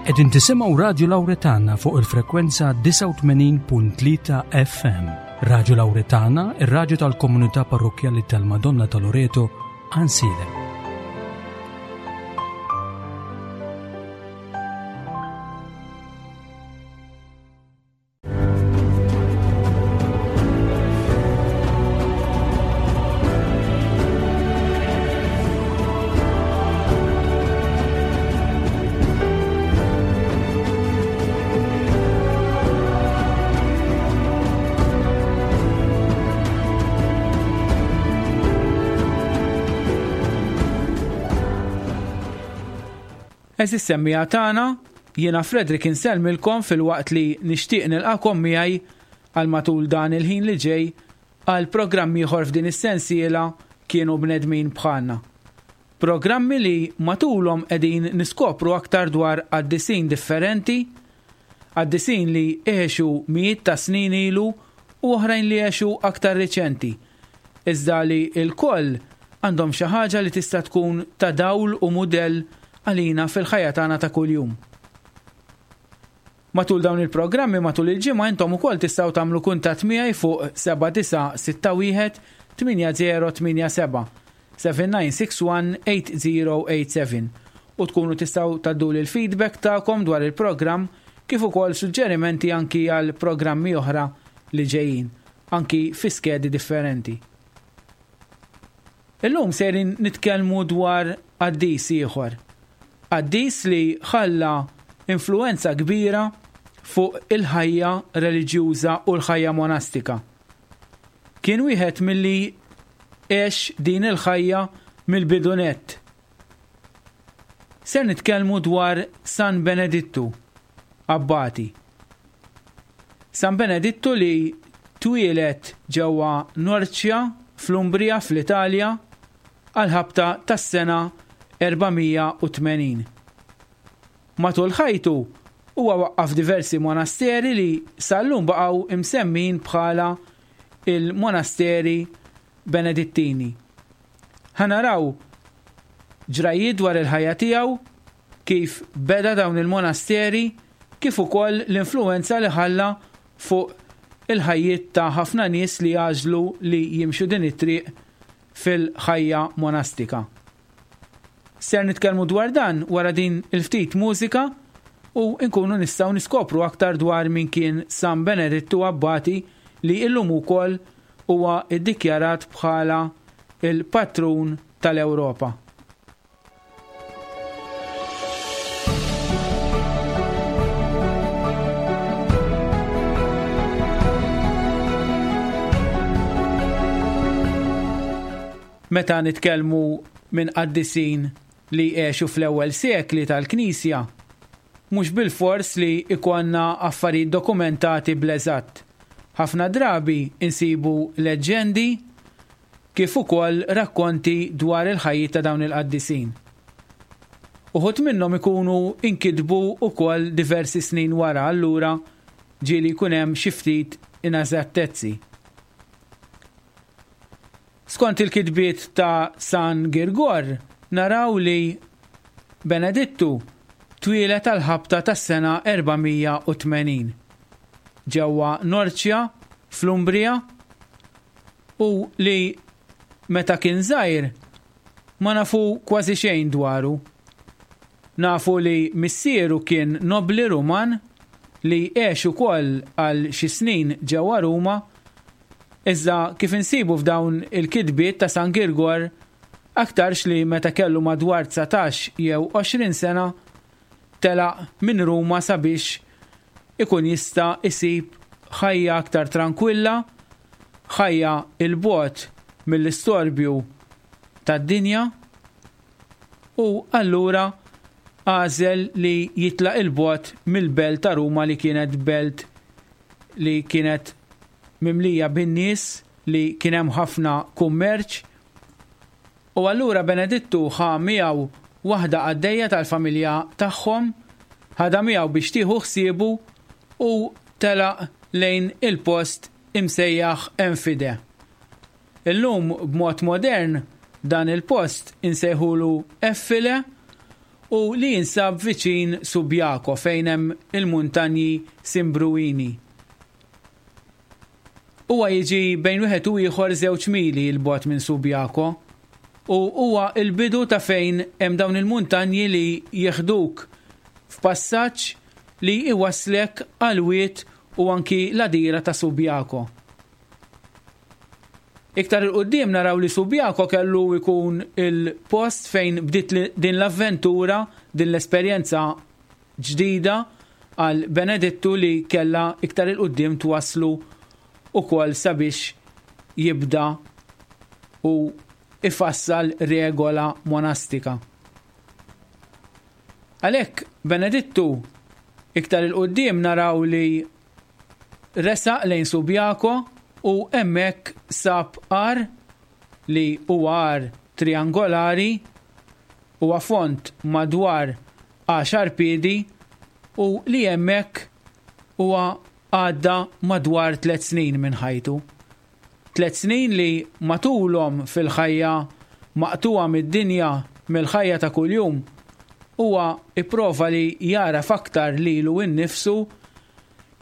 Qegħdin tisimgħu Radju Lawretana fuq il-frekwenza 89.3 FM. Radju Lawretana, ir-radju tal-komunità parrokkjali tal-Madonna ta' Loreto, Għansielem. Għeżież semmiegħa tagħna, jiena Frederick insellmilkom filwaqt li nixtieq nilqagħkom miegħi għal matul dan il-ħin li ġej għal programm ieħor f'din is-sensiela Kienu Bnedmin Bħalna. Programmi li matulhom qegħdin niskopru aktar dwar qaddisin differenti, qaddisin li għexu mijiet ta' snin ilu u oħrajn li għexu aktar riċenti, iżda li lkoll għandhom xi ħaġa li tista' tkun ta' dawl u mudell għalina fil-ħajja tagħna ta' kuljum. Matul dawn il-programmi matul il-ġimgħa intom ukoll tistgħu tagħmlu kuntatt miegħi fuq 7961 8087, 7961 8087, u tkunu tistgħu tgħadduli l-feedback tagħkom dwar il-programm kif ukoll suġġerimenti anki għal programmi oħra li ġejjin, anki fi skedi differenti. Illum sejrin nitkellmu dwar qaddis ieħor. Qaddis li ħalla influwenza kbira fuq il-ħajja reliġjuża u l-ħajja monastika. Kien wieħed milli għex din il-ħajja mill-bidu nett. Ser nitkellmu dwar San Benedittu Abbati. San Benedittu li twieled ġewwa Norcia fl-Umbria fl-Italja għall-ħabta tas-sena 480. Matul ħajtu huwa waqqaf diversi monasteri li sal-lum baqgħu imsemmijin bħala il-monasteri Benedittini. Ħa naraw ġrajjiet dwar il-ħajja tiegħu, kif beda dawn il-monasteri kif ukoll l-influwenza li ħalla fuq il-ħajjiet ta' ħafna nies li għażlu li jimxu din it-triq fil-ħajja monastika. Ser nitkellmu dwar dan wara din il-ftit mużika u nkunu nistgħu niskopru aktar dwar min kien San Benedittu Abbati li illum ukoll huwa ddikjarat bħala l-patrun tal-Ewropa. Meta nitkellmu minn qaddisin li għexu fl-ewwel sekli tal-Knisja, mhux bilfors li jkollna affarijiet dokumentati bl-eżatt. Ħafna drabi nsibu leġġendi kif ukoll rakkonti dwar il-ħajjiet ta' dawn il-qaddisin. Uħud minnhom ikunu nkitbu wkoll diversi snin wara allura ġieli jkun hemm xi ftit ineżattezzi. Skont il-kitbiet ta' San Girgor naraw li Benedittu twieled għall-ħabta tas-sena 480 ġewwa Norcia fl-Umbria u li meta kien żgħir ma nafu kważi xejn dwaru. Nafu li missieru kien nobbli Ruman li għex ukoll għal xi snin ġewwa Ruma, iżda kif insibu f'dawn il-kitbiet ta' San Girgor, aktarx li meta kellu madwar 19 jew 20 sena telaq minn Ruma sabiex ikun jista' jsib ħajja aktar trankwilla, ħajja 'l bogħod mill-istorbju tad-dinja u allura għażel li jitlaq 'il bogħod mill-belt ta' Ruma li kienet belt li kienet mimlija bin-nies li kien hemm ħafna kummerċ U allura Benedittu ħa miegħu waħda qaddejja tal-familja tagħhom, ħadha miegħu biex tieħu ħsiebu u telaq lejn il-post imsejjaħ Enfide. Illum b'mod modern dan il-post insejħulu Effile. u li jinsab viċin Subiaco fejn hemm il-muntanji Simbruini. Huwa jiġi bejn wieħed u ieħor żewġ mili 'l bogħod minn Subiaco u huwa l-bidu ta' fejn hemm dawn il-muntanji li jieħduk f'passaġġ li jwasslek għall-wied u anki l-għadira ta' Subiaco. Iktar 'il quddiem naraw li Subiaco kellu jkun il-post fejn bdiet din l-avventura, din l-esperjenza ġdida għal Benedittu li kellha iktar 'il quddiem twasslu ukoll sabiex jibda u ifassal regola monastika. Għalhekk Benedittu iktar 'il quddiem naraw li resaq lejn Subiaco u hemmhekk sab għar li huwa għar triangolari, huwa fond madwar għaxar piedi u li hemmhekk huwa għadda madwar tlett snin minn ħajtu. Tlett snin li matulhom fil-ħajja maqtugħa mid-dinja, mill-ħajja ta' kuljum, huwa ipprova li jagħraf aktar lilu nnifsu,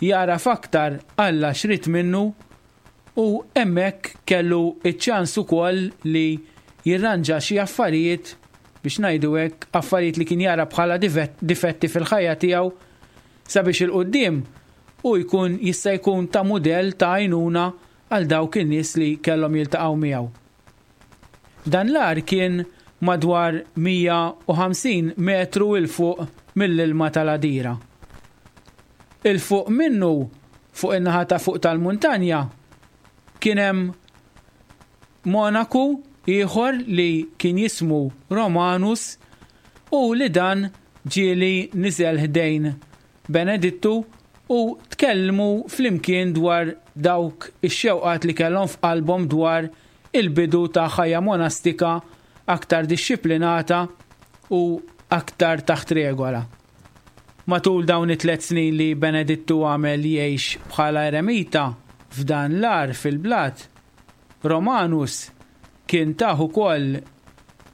jagħraf aktar Alla x'ried minnu u hemmhekk kellu ċ-ċans ukoll li jirranġa xi affarijiet, biex ngħidu hekk, affarijiet li kien jara bħala difetti fil-ħajja tiegħu sabiex 'il quddiem hu jkun jista' jkun ta' mudell ta' għajnuna għal dawk in-nies li kellhom jiltaqgħu miegħu. Dan l-għar kien madwar 150 metru 'l fuq mill-ilma tal-għadira. 'Il fuq minnu, fuq in-naħa ta' fuq tal-muntanja, kien hemm monaku ieħor li kien jismu Romanus u li dan ġieli niżel ħdejn Benedittu u tkellmu flimkien dwar dawk ix-xewqat li kellhom f'qalbhom dwar il-bidu ta' ħajja monastika aktar dixxiplinata u aktar taħt regola. Matul dawn it-tlett snin li Benedittu għamel jgħix bħala eremita f'dan l-għar fil-blat, Romanus kien tah ukoll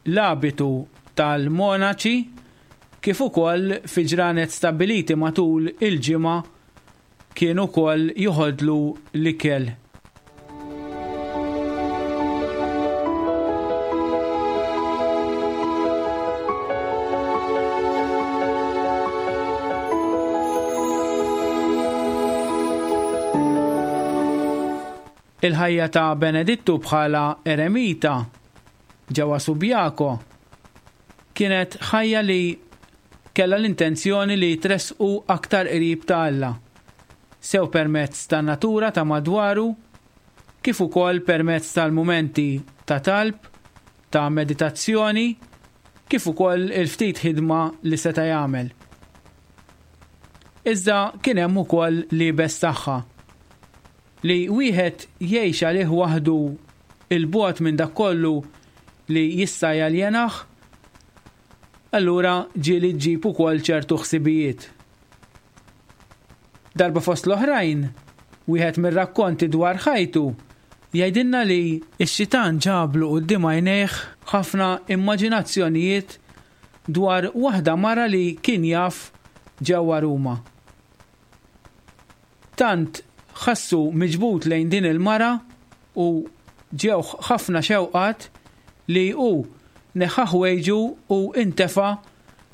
l-abitu tal-monaċi kif ukoll fi ġranet stabbiliti matul il-ġimgħa kien ukoll joħodlu l-ikel. Il-ħajja ta' Benedittu bħala eremita ġewwa Subiaco kienet ħajja li kellha l-intenzjoni li tressqu aktar qrib ta' Alla, sew permezz tan-natura ta' madwaru kif ukoll permezz tal-mumenti ta' talb, ta' meditazzjoni, kif ukoll il-ftit ħidma li seta' jagħmel. Iżda kien hemm ukoll l-iebes tagħha. Li wieħed jgħix għalih waħdu 'l bogħod minn dak kollu li jista' jaljenah, allura ġieli ġġib ukoll ċertu ħsibijiet. Darba fost l-oħrajn, wieħed mir-rakkonti dwar ħajtu jgħidilna li x-xitan ġablu quddiem għajnejh ħafna immaġinazzjonijiet dwar waħda mara li kien jaf ġewwa Ruma. Tant ħassu miġbud lejn din il-mara u ġewh ħafna xewqat li hu neħħa ħwejġu u intefa'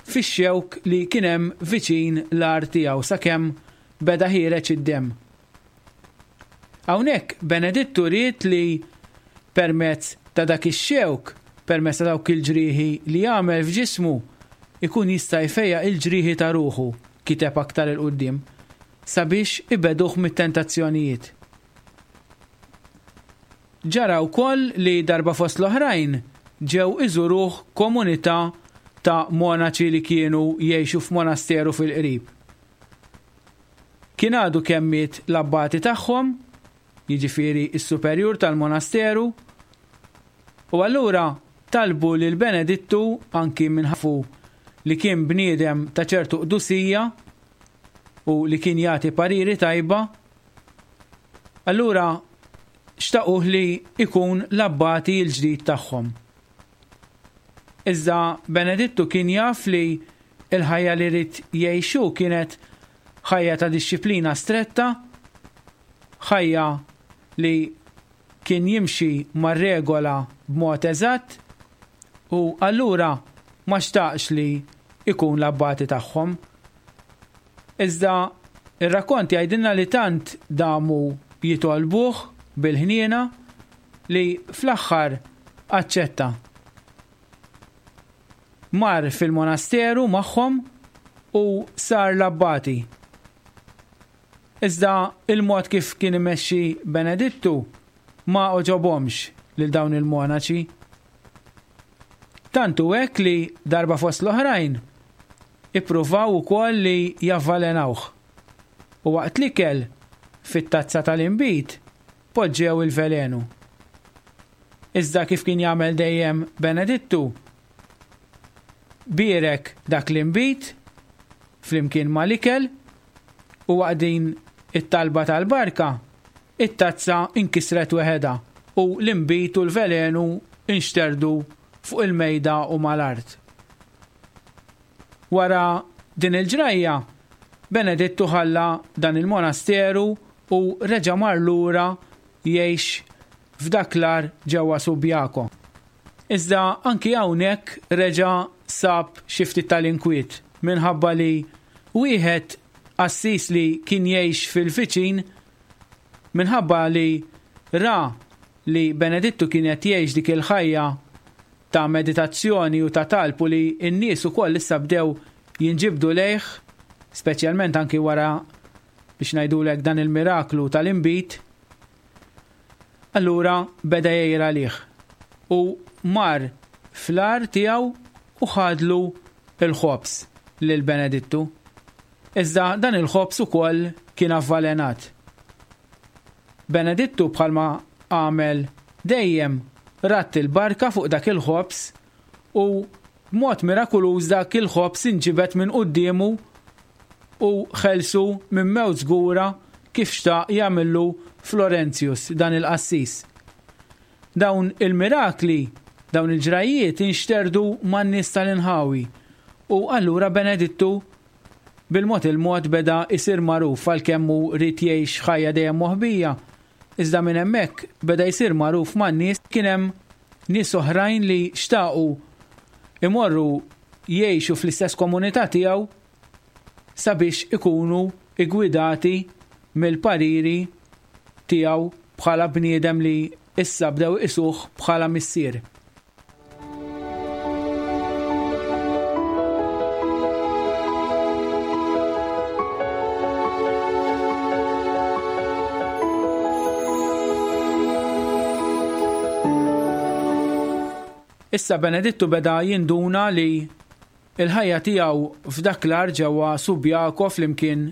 fix-xewk li kien hemm viċin l-għar tiegħu sakemm beda ħiereġ id-demm. Hawnhekk Benedittu ried li permezz ta' dak ix-xewk, permezz ta' dawk il-ġrieħi li għamel f'ġismu, ikun jista' jfejjaq il-ġrieħi ta' ruħu, kiteb aktar 'il quddiem, sabiex ibegħduh mit-tentazzjonijiet. Ġara wkoll li darba fost l-oħrajn ġew iżuruh komunità ta' monaċi li kienu jgħixu f'monasteru fil-qrib. Kien għadu kemm miet l-abbati tagħhom, jiġifieri s-superjur tal-monasteru, u allura talbu lil Benedittu anki minħabba li kien bniedem ta' ċertu qdusija u li kien jagħti pariri tajba, allura xtaquh li jkun l-abbati l-ġdid tagħhom. Iżda Benedittu kien jaf li. Il-ħajja li ried jgħix hu kienet ħajja ta' dixxiplina stretta, ħajja li kien jimxi mar-regola b'mod eżatt u allura ma xtaqx li jkun l-abbati tagħhom. Iżda r-rakkont jgħidilna li tant damu jitolbuh bil-ħniena li fl-aħħar aċċetta. Mar fil-monasteru magħhom u sar l-abbati. Iżda il-mod kif kien imexxi Benedittu ma għoġobhomx lil dawn il-monaċi. Tant hu hekk li darba fost l-oħrajn ippruvaw ukoll li javvalenawh. U waqt l-ikel, fit-tazza tal-inbid, poġġew il-velenu. Iżda kif kien jagħmel dejjem Benedittu, bierek dak l-inbid flimkien mal-ikel u waqt din it-talba tal-barka, it-tazza nkisret weħedha u l-inbid u l-velenu nxterdu fuq il-mejda u mal-art. Wara din il-ġrajja, Benedittu ħalla dan il-monasteru u reġa' mar lura jgħix f'dak l-għar ġewwa Subiaco. Iżda anki hawnhekk reġa' sab xi ftit tal-inkwiet minħabba li wieħed qassis li kien jgħix fil-viċin minħabba li ra li Benedittu kien qed jgħix dik il-ħajja ta' meditazzjoni u ta' talb u li n-nies ukoll issa bdew jinġibdu lejh, speċjalment anki wara biex ngħidulek dan il-miraklu tal-inbid, allura beda jgħir għalih u mar fl-għar tiegħu u ħadlu l-ħobż lil Benedittu. Iżda dan il-ħobż ukoll kien avvalenat. Benedittu bħalma għamel dejjem radd il-barka fuq dak il-ħobż u b'mod mirakuluż dak il-ħobż inġibed minn quddiemu u ħelsu minn mewt żgura kif xtaq jagħmillu Florentius, dan il-qassis. Dawn il-mirakli, dawn il-ġrajjiet inxterdu man-nies tal-inħawi u allura Benedittu Bil-mod il-mod beda jsir magħruf għalkemm hu ried jgħix ħajja dejjem moħbija, iżda minn hemmhekk beda jsir magħruf man-nies, kien hemm nies oħrajn li xtaqu imorru jgħixu fl-istess komunità tiegħu sabiex ikunu ggwidati mill-pariri tiegħu bħala bniedem li issa bdew iqisuh bħala missier. Issa Benedittu beda jinduna li l-ħajja tiegħu f'dak l-għar ġewwa Subiaco flimkien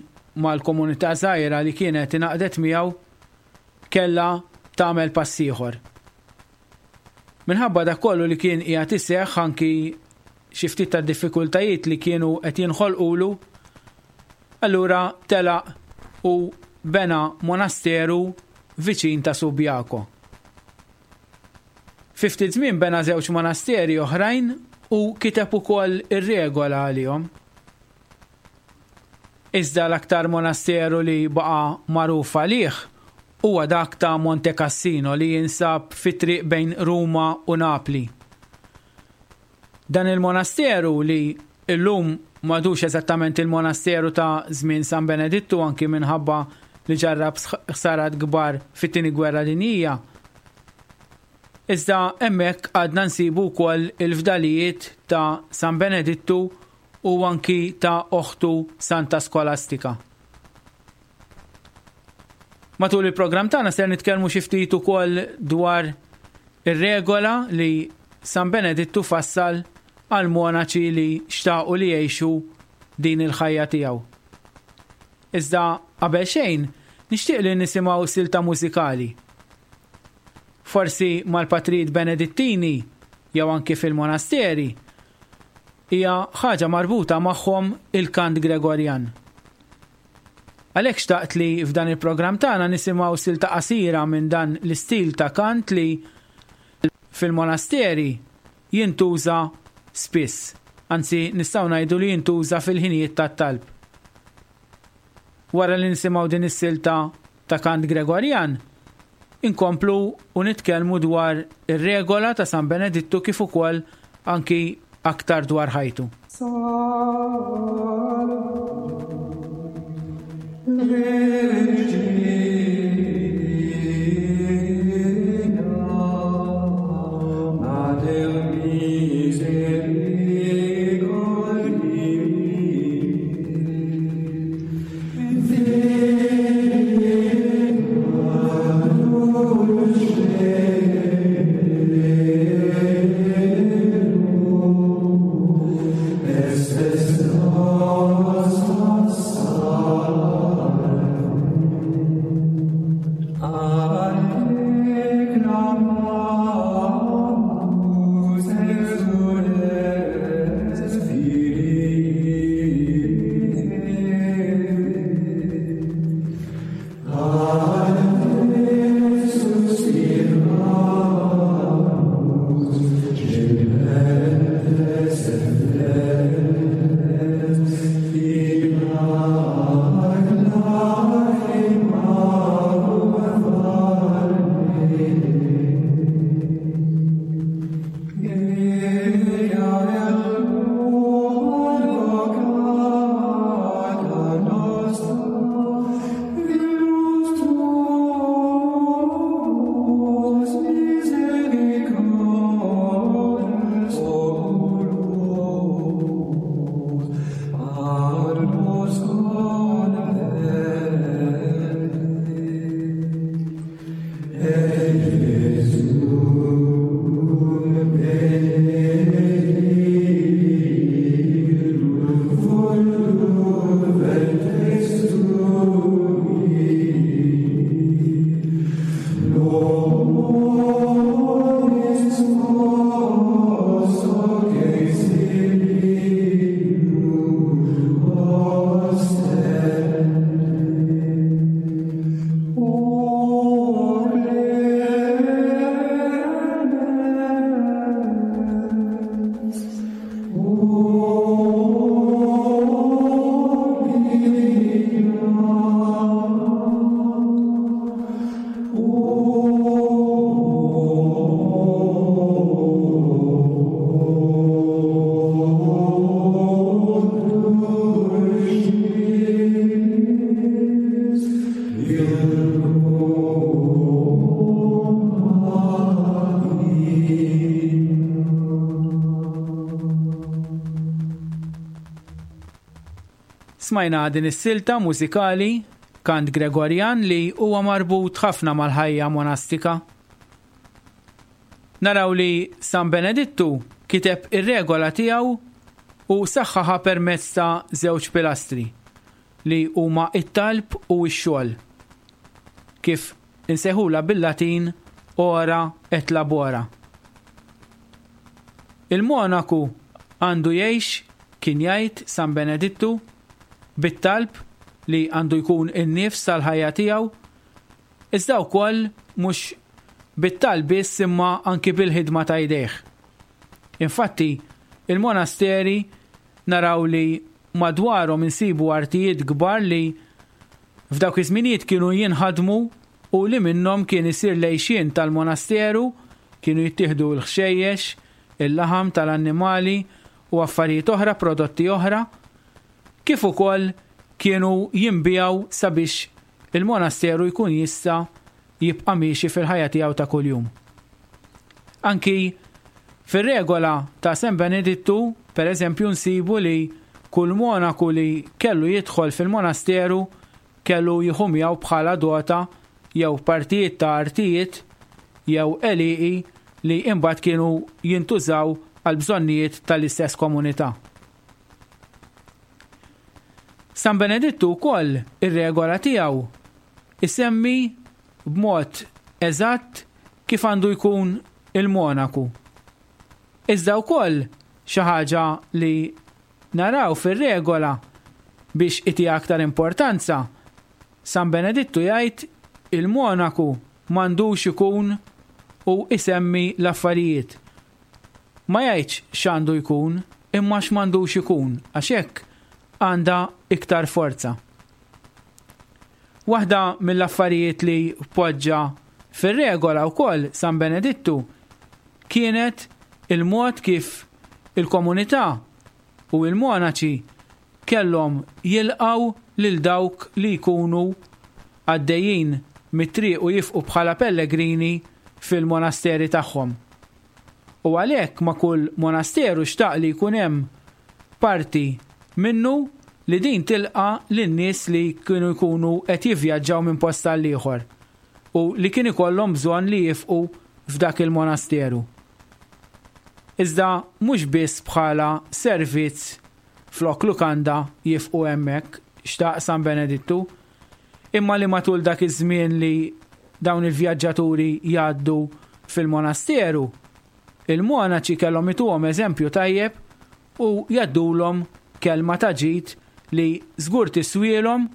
mal-komunità żgħira li kienet ingħaqdet miegħu kellha tagħmel pass ieħor. Minħabba dak kollu li kien qiegħed iseħħ anki xi ftit ta' diffikultajiet li kienu qed jinħolqulu, allura telaq u bena monasteru viċin ta' Subiaco. Fi ftit żmien bena żewġ monasteri oħrajn u kiteb ukoll ir-regola għalihom. Iżda l-aktar monasteru li baqa' magħruf għalih huwa dak ta' Monte Cassino li jinsab fit-triq bejn Ruma u Napli. Dan il-monasteru li llum m'għadux eżattament il-monasteru ta' żmien San Benedittu anki minħabba li ġarrab ħsarat kbar fit-Tieni Gwerra Dinjija, iżda hemmhekk għadna nsibu wkoll il-fdalijiet ta' San Benedittu u anki ta' oħtu Santa Skolastika. Matul il-programm tagħna ser nitkellmu xi ftit ukoll dwar ir-regola li San Benedittu fassal għal monaċi li xtaqu li jgħixu din il-ħajja tiegħu. Iżda qabel xejn, nixtieq li nisimgħu silta mużikali. Forsi mal-patrijiet Benedittini jew anki fil-monasteri, hija ħaġa marbuta magħhom il-kant Gregorjan. Għalhekk xtaqt li f'dan il-programm tagħna nisimgħu silta qasira minn dan l-istil ta' kant li fil-monasteri jintuża spiss. Anzi, nistgħu ngħidu li jintuża fil-ħinijiet tat-talb. Wara li nisimgħu din is-silta ta' kant Gregorjan, inkomplu u nitkellmu dwar ir-regola ta' San Benedittu kif ukoll anki aktar dwar ħajtu. Smajna din is-silta mużikali, kant Gregorjan li huwa marbut ħafna mal-ħajja monastika. Naraw li San Benedittu kiteb ir-regola tiegħu u saħħaħa permezz ta' żewġ pilastri li huma t-talb u x-xogħol, kif insejħulha bil-Latin ora et labora. Il-monaku għandu jgħix, kien jgħid San Benedittu, bit-talb li għandu jkun in-nifs tal-ħajja tiegħu, iżda wkoll mhux bit-talb biss imma anki bil-ħidma ta' jdejh. Infatti, il-monasteri naraw li madwarhom insibu artijiet kbar li f'dawk iż-żminijiet kienu jinħadmu u li minnhom kien isir l-għixien tal-monasteru, kienu jittieħdu l-ħxejjex, il-laħam tal-annimali u affarijiet oħra, prodotti oħra, kif ukoll kienu jinbiegħu sabiex il-monasteru jkun jista' jibqa' miexi fil-ħajja tiegħu ta' kuljum. Anki fir-regola ta' San Benedittu, per eżempju, nsibu li kull monaku li kellu jidħol fil-monasteru kellu jieħu miegħu bħala dota jew partijiet ta' artijiet jew għelieqi li imbagħad kienu jintużaw għall-bżonnijiet tal-istess komunità. San Benedittu wkoll ir-regola tiegħu isemmi b'mod eżatt kif għandu jkun il-monaku. Iżda wkoll xi ħaġa li naraw fir-regola biex itiha aktar importanza, San Benedittu jgħid il-monaku m'għandux ikun u isemmi l-affarijiet. Ma jgħidx x'għandu jkun. imma x'm'għandux ikun għax hekk għandha iktar forza. Waħda mill-affarijiet li poġġa fir-regola wkoll San Benedittu kienet il-mod kif il-komunità u l-monaċi kellhom jilqgħu lil dawk li jkunu għaddejjin mit-triq u jifqu bħala pellegrini fil-monasteri tagħhom. U għalhekk ma' kull monasteru xtaq li jkun hemm parti minnu li din tilqa' lin-nies li kienu jkunu qed jivvjaġġaw minn post għal ieħor u li kien ikollhom bżonn li jifqu f'dak il-monasteru. Iżda mhux biss bħala servizz flok lukanda jifqu hemmhekk, xtaq San Benedittu, imma li matul dak iż-żmien li dawn il-vjaġġaturi jgħaddu fil-monasteru, il-monaċi kellhom ituhom eżempju tajjeb u jgħaddulhom kelma ta' ġid li żgur tiswielhom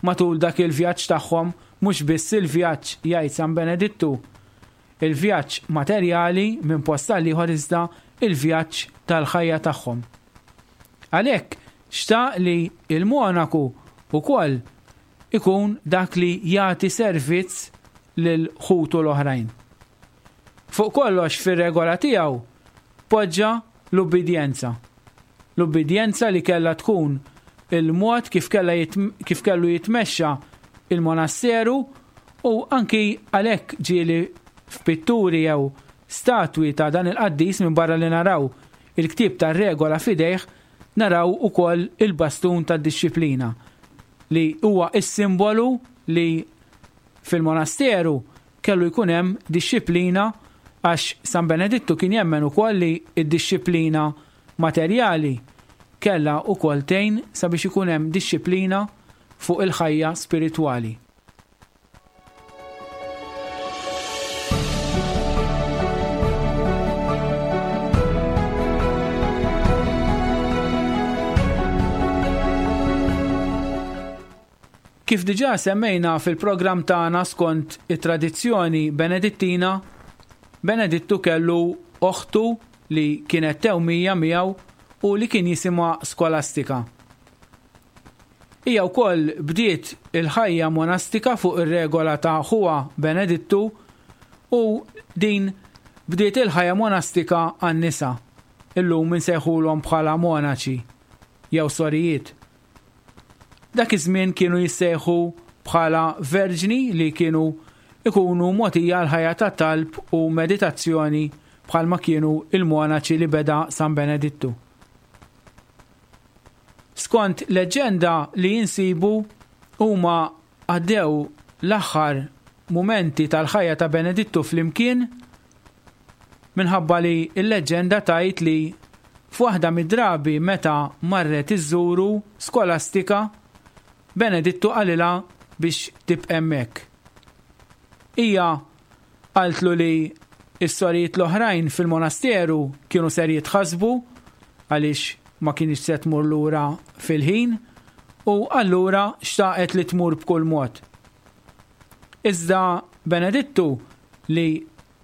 matul dak il-vjaġġ tagħhom, mhux biss il-vjaġġ jgħid San Benedittu, il-vjaġġ materjali minn post għal ieħor iżda il-vjaġġ tal-ħajja tagħhom. Għalhekk xtaq li l-monaku wkoll ikun dak li jagħti servizz lil ħutu l-oħrajn. Fuq kollox fir-regola tiegħu poġġa l-ubbidjenza. L-ubbidjenza li kellha tkun il-mod kif kellha kif kellu jitmexxa il-monasteru u anki għalhekk ġieli f'pitturi jew statwi ta' dan il-qaddis minbarra li naraw il-ktieb tar-regola f'idejh naraw ukoll il-bastun tad-dixxiplina li huwa s-simbolu li fil-monasteru kellu jkun hemm dixxiplina għax San Benedittu kien jemmen ukoll li d-dixxiplina materjali kellha wkoll tgħin sabiex ikun hemm dixxiplina fuq il-ħajja spiritwali. Kif diġà semmejna fil-programm tagħna skont it-tradizzjoni Benedittina, Benedittu kellu oħtu li kienet tewmija miegħu u li kien jisimha Skolastika. Hija wkoll bdiet il-ħajja monastika fuq ir-regola ta' ħuha Benedittu u din bdiet il-ħajja monastika għan-nisa. Illum insejħulhom bħala monaċi jew sorijiet. Dak iż-żmien kienu jissejħu bħala verġni li kienu ikunu mogħtija l-ħajja ta' talb u meditazzjoni bħalma kienu il-monaċi li beda San Benedittu. Skont leġġenda li jinsibu huma għaddew l-aħħar mumenti tal-ħajja ta' Benedittu flimkien minħabba li l-leġġenda tgħid li f'waħda mid-drabi meta marret iżżuru Skolastika, Benedittu qalilha biex tibqa' hemmhekk. Hija qaltlu li s-sorijiet l-oħrajn fil-monasteru kienu ser jitħassbu għaliex ma kinitx se tmur lura fil-ħin u allura xtaqet li tmur b'kull mod. Iżda Benedittu li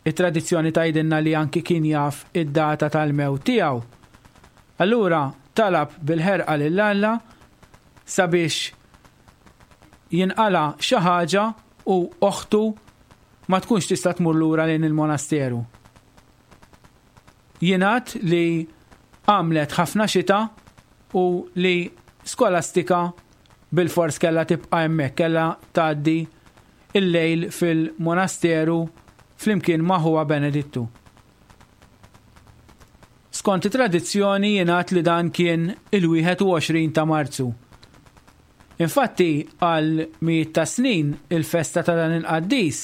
t-tradizzjoni tgħidilna li anki kien jaf id-data tal-mewt tiegħu. Allura talab bil-ħerqa lil Alla sabiex jinqala' xi ħaġa u oħtu ma tkunx tista' tmur lura lejn il-monasteru. Jingħad li għamlet ħafna xita u li Skolastika bilfors kellha tibqa' hemmhekk, kellha tgħaddi l-lejl fil-monasteru flimkien ma' ħuha Benedittu. Skont it-tradizzjoni jingħad li dan kien il-21 ta' Marzu. Infatti għal mijiet ta' snin il-festa ta' dan il-qaddis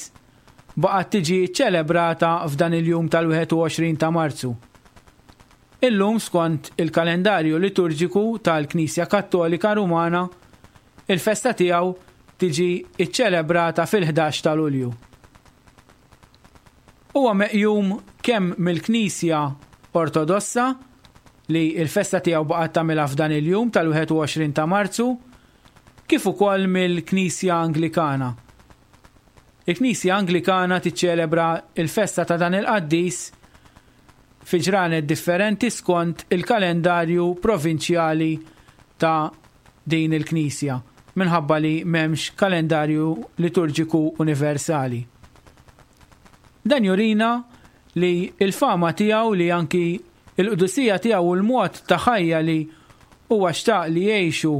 baqgħet tiġi ċċelebrata f'dan il-jum tal-21 ta' Marzu. Illum skont il-kalendarju liturġiku tal-Knisja Kattolika Rumana, il-festa tiegħu tiġi ċċelebrata fil-11 ta' Lulju. Huwa meqjum kemm mill-Knisja Ortodossa, li l-festa tiegħu baqgħet tagħmilha f'dan il-jum tal-21 ta' Marzu, kif ukoll mill-Knisja Anglikana. Il-Knisja Anglikana tiċċelebra l-festa ta' dan il-qaddis. fi ġranet differenti skont il-kalendarju provinċjali ta' din il-Knisja, minħabba li m'hemmx kalendarju liturġiku universali. Dan jurina li l-fama tiegħu li anki l-qdusija tiegħu u l-mod ta' ħajja li huwa xtaq li jgħixu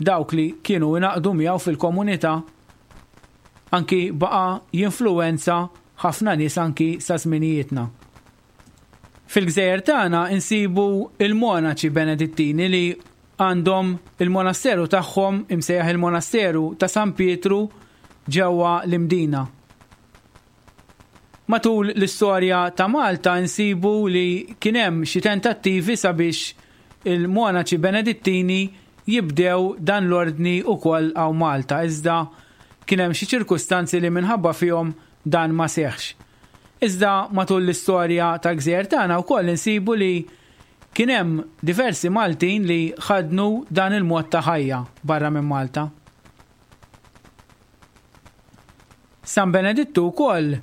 dawk li kienu ingħaqdu miegħu fil-komunità anki baqa' jinfluwenza ħafna nies anki sa żminijietna. Fil-gżejjer tagħna insibu l-monaċi Benedittini li għandhom il-monasteru tagħhom imsejjaħ il-Monasteru ta' San Pietru ġewwa l-Imdina. Matul l-istorja ta' Malta nsibu li kien hemm xi tentattivi sabiex il-monaċi Benedittini jibdew dan l-ordni wkoll hawn Malta iżda kien hemm xi ċirkustanzi li minħabba fihom dan ma seħħx. Iżda matul l-istorja tal-gżejjer tagħna wkoll insibu li kien hemm diversi Maltin li ħaddnu dan il-mod ta' ħajja barra minn Malta. San Benedittu wkoll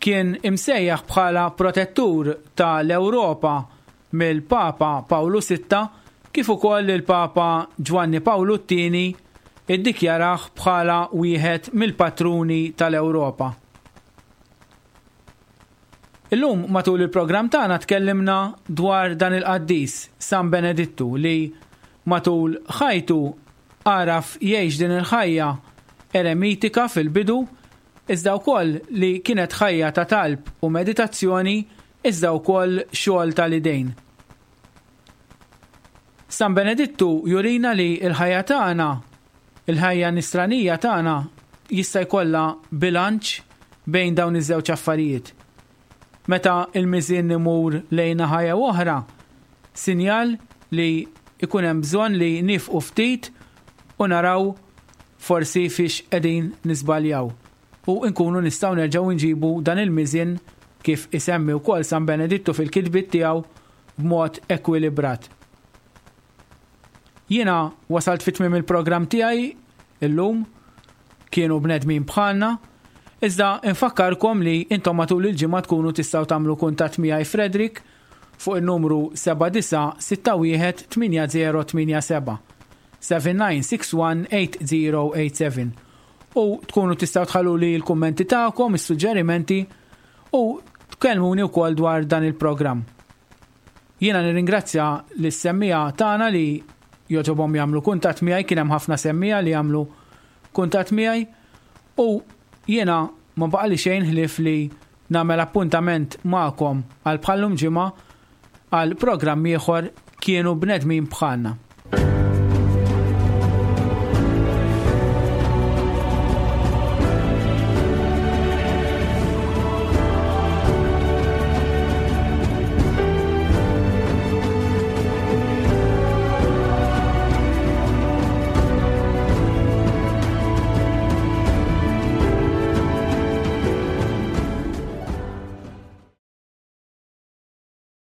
kien imsejjaħ bħala protettur ta' l-Ewropa mill-Papa Pawlu Sitta kif ukoll il-Papa Ġwanni Pawlu t-Tieni iddikjarah bħala wieħed mill-patruni tal-Ewropa. Illum matul il-programm tagħna tkellimna dwar dan il-qaddis San Benedittu li matul ħajtu għaraf jgħix din il-ħajja eremitika fil-bidu iżda wkoll li kienet ħajja ta' talb u meditazzjoni iżda wkoll xogħol tal-idejn. San Benedittu jurina li l-ħajja tagħna, il-ħajja nisranija tagħna jista' jkollha bilanċ bejn dawn iż-żewġ affarijiet. Meta l-miżien imur lejn naħa jew oħra, sinjal li jkun hemm bżonn li niefqu ftit u naraw forsi fiex qegħdin niżbaljaw u nkunu nistgħu nerġgħu nġibu dan il-miżien kif isemmi wkoll San Benedittu fil-kitbiet tiegħu b'mod ekwilibrat. Jiena wasalt fi tmiem il-programm tiegħi illum, kienu bnedmin bħalna, iżda infakkarkom li intom matul il-ġimgħa tkunu tistgħu tagħmlu kuntatt miegħi Frederick fuq in-numru 7961 8087 7961 8087 u tkunu tistgħu tħalluli l-kummenti tagħkom, is-suġġerimenti u tkellmuni wkoll dwar dan il-programm. Jiena nirringrazzja lis-semmiegħa tagħna li jogħġobhom jagħmlu kuntatt miegħi, kien hemm ħafna semmiegħa li għamlu kuntatt miegħi u jiena ma baqali xejn ħlief li nagħmel appuntament magħkom għal bħallum ġimgħa għal programm ieħor kienu bnedmin bħalna.